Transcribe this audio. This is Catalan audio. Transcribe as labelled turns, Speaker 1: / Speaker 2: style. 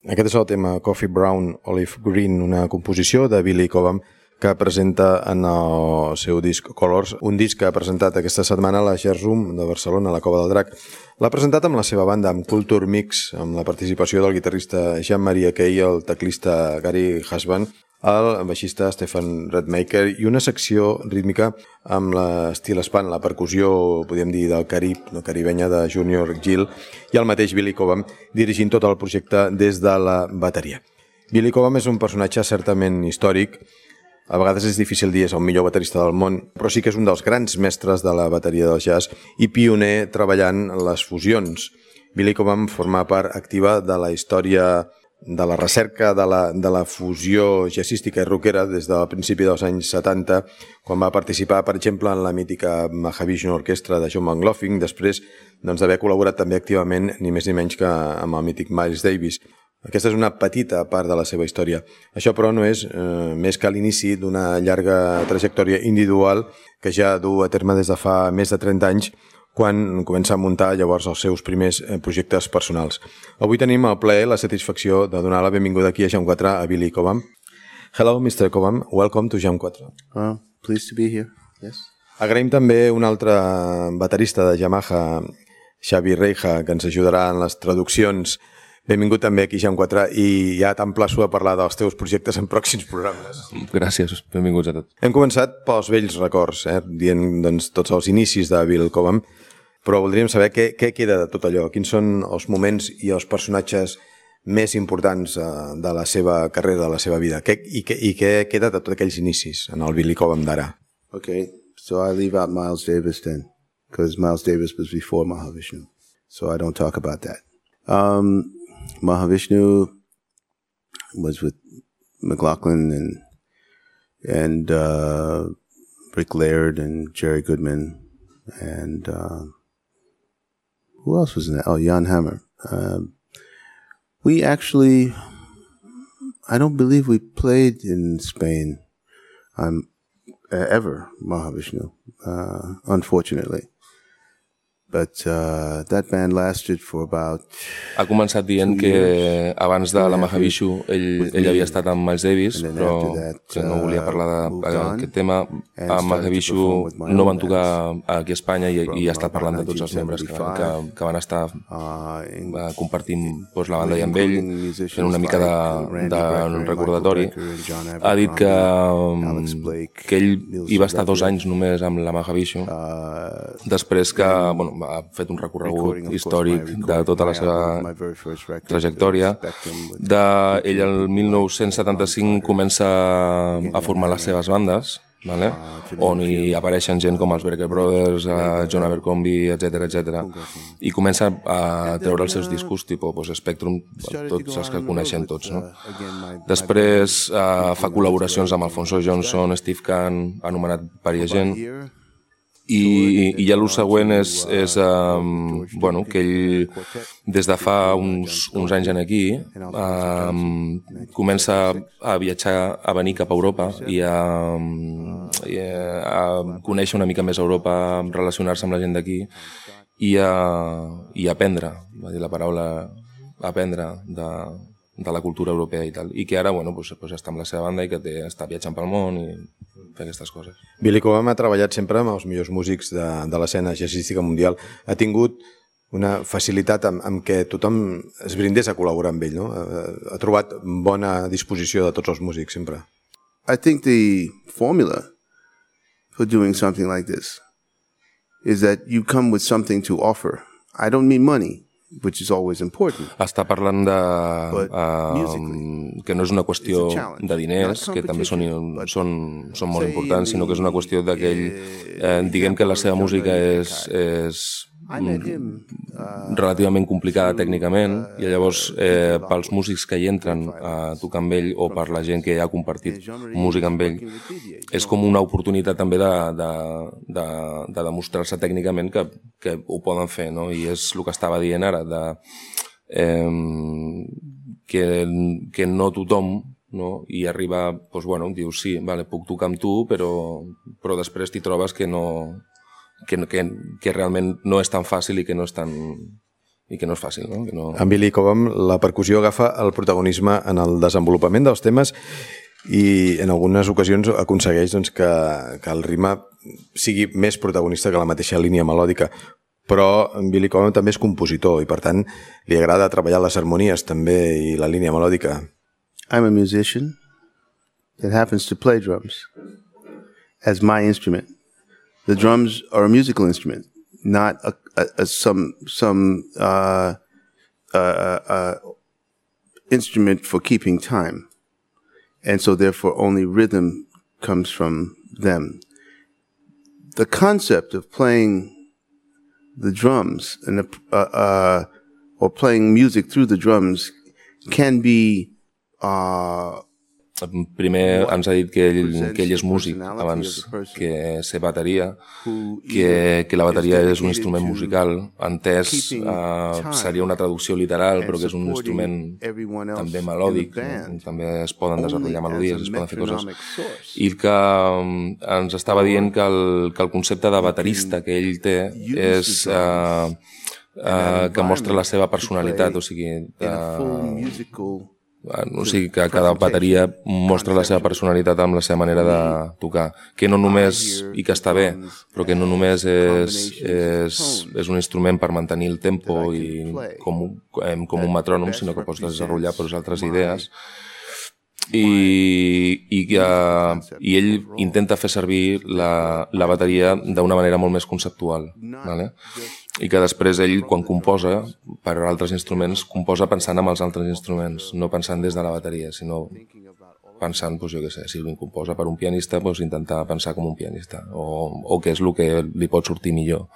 Speaker 1: Aquest és el tema Coffee Brown, Olive Green, una composició de Billy Cobham que presenta en el seu disc Colors, un disc que ha presentat aquesta setmana a la Jazz Room de Barcelona, a la Cova del Drac. L'ha presentat amb la seva banda, amb Culture Mix, amb la participació del guitarrista Jean-Marie Key, el teclista Gary Husband, el baixista Stefan Redmaker i una secció rítmica amb l'estil span, la percussió, podríem dir, del Carib, la caribenya de Junior Gill, i el mateix Billy Cobham dirigint tot el projecte des de la bateria. Billy Cobham és un personatge certament històric. A vegades és difícil dir és el millor baterista del món, però sí que és un dels grans mestres de la bateria del jazz i pioner treballant les fusions. Billy Cobham forma part activa de la història de la recerca de la fusió jazzística i rockera des del principi dels anys 70, quan va participar, per exemple, en la mítica Mahavishnu Orquestra de John McLaughlin, després d'haver col·laborat també activament, ni més ni menys que amb el mític Miles Davis. Aquesta és una petita part de la seva història. Això, però, no és més que l'inici d'una llarga trajectòria individual que ja du a terme des de fa més de 30 anys, quan comença a muntar llavors els seus primers projectes personals. Avui tenim el plaer, la satisfacció de donar la benvinguda aquí a Jam 4 a Billy Cobham. Hello, Mr. Cobham. Welcome to Jam 4.
Speaker 2: Pleased to be here. Yes.
Speaker 1: Agraïm també un altre baterista de Yamaha, Xavi Reija, que ens ajudarà en les traduccions. Benvingut també aquí, Jam 4, i ja t'emplaço a parlar dels teus projectes en pròxims programes.
Speaker 3: Gràcies, benvinguts a tots.
Speaker 1: Hem començat pels vells records, dient doncs, tots els inicis de Bill Cobham, però voldríem saber què queda de tot allò, quins són els moments i els personatges més importants de la seva carrera, de la seva vida, i què queda de tots aquells inicis en el Billy Cobham d'ara.
Speaker 2: Okay, so I leave out Miles Davis then, because Miles Davis was before Mahavishnu, so I don't talk about that. Mahavishnu was with McLaughlin and Rick Laird and Jerry Goodman and who else was in that? Oh, Jan Hammer. We actually, I don't believe we played in Spain ever, Mahavishnu, unfortunately. But that band lasted for about...
Speaker 3: Ha començat dient que abans de la Mahavishnu ell havia estat amb Miles Davis, però que no volia parlar d'aquest tema. A Mahavishnu no van tocar aquí a Espanya i ha estat parlant de tots els membres que van estar compartint la banda i amb ell, fent una mica de recordatori. Ha dit que ell hi va estar 2 anys només amb la Mahavishnu, després que ha fet un recorregut històric de tota la seva trajectòria. Ell el 1975 comença a formar les seves bandes, on hi apareixen gent com els Brecker Brothers, John Abercrombie, etc. I comença a treure els seus discos, tipus Spectrum, tots els que coneixen tots. Després fa col·laboracions amb Alfonso Johnson, Steve Kahn, anomenat Paria Gent. I ja el següent és que ell des de fa uns anys aquí comença a viatjar, a venir cap a Europa i a conèixer una mica més Europa, relacionar-se amb la gent d'aquí i a aprendre, va dir la paraula aprendre de la cultura europea i tal, i que ara està amb la seva banda i que està viatjant pel món i fer aquestes coses.
Speaker 1: Billy Cobham ha treballat sempre amb els millors músics de l'escena jazzística mundial. Ha tingut una facilitat amb què tothom es brindés a col·laborar amb ell, no? Ha trobat bona disposició de tots els músics sempre.
Speaker 2: I think the formula for doing something like this is that you come with something to offer. I don't mean money, which is always important.
Speaker 3: Està parlant que no és una qüestió de diners, que també són molt importants, sinó que és una qüestió d'aquell... Diguem que la seva música és relativament complicada tècnicament, i llavors pels músics que hi entren a tocar amb ell o per la gent que ja ha compartit música amb ell és com una oportunitat també de demostrar-se tècnicament que ho poden fer, no? I és el que estava dient ara, que no tothom, no? I arriba, dius sí, puc tocar amb tu, però després t'hi trobes que realment no és tan fàcil i que no és tan i que no és fàcil, no? Que no...
Speaker 1: En Billy Cobham la percussió agafa el protagonisme en el desenvolupament dels temes i en algunes ocasions aconsegueix doncs, que el ritme sigui més protagonista que la mateixa línia melòdica. Però en Billy Cobham també és compositor i per tant li agrada treballar les harmonies també i la línia melòdica.
Speaker 2: I'm a musician that happens to play drums as my instrument. The drums are a musical instrument, not some instrument for keeping time, and so therefore only rhythm comes from them. The concept of playing the drums and or playing music through the drums can be
Speaker 3: primer ens ha dit que ell és músic abans que ser bateria, que la bateria és un instrument musical, entès seria una traducció literal, però que és un instrument també melòdic, també es poden desenvolupar melodies, es poden fer coses, i que ens estava dient que el concepte de baterista que ell té és que mostra la seva personalitat, o sigui que cada bateria mostra la seva personalitat amb la seva manera de tocar, que no només, i que està bé, però que no només és un instrument per mantenir el tempo i com un metrònom, sinó que pots desenvolupar per altres idees. I ell intenta fer servir la bateria d'una manera molt més conceptual, ¿vale? I que després ell, quan composa per altres instruments, composa pensant en els altres instruments, no pensant des de la bateria, sinó pensant, doncs jo què sé, si composa per un pianista, doncs intentar pensar com un pianista, o què és el que li pot sortir millor.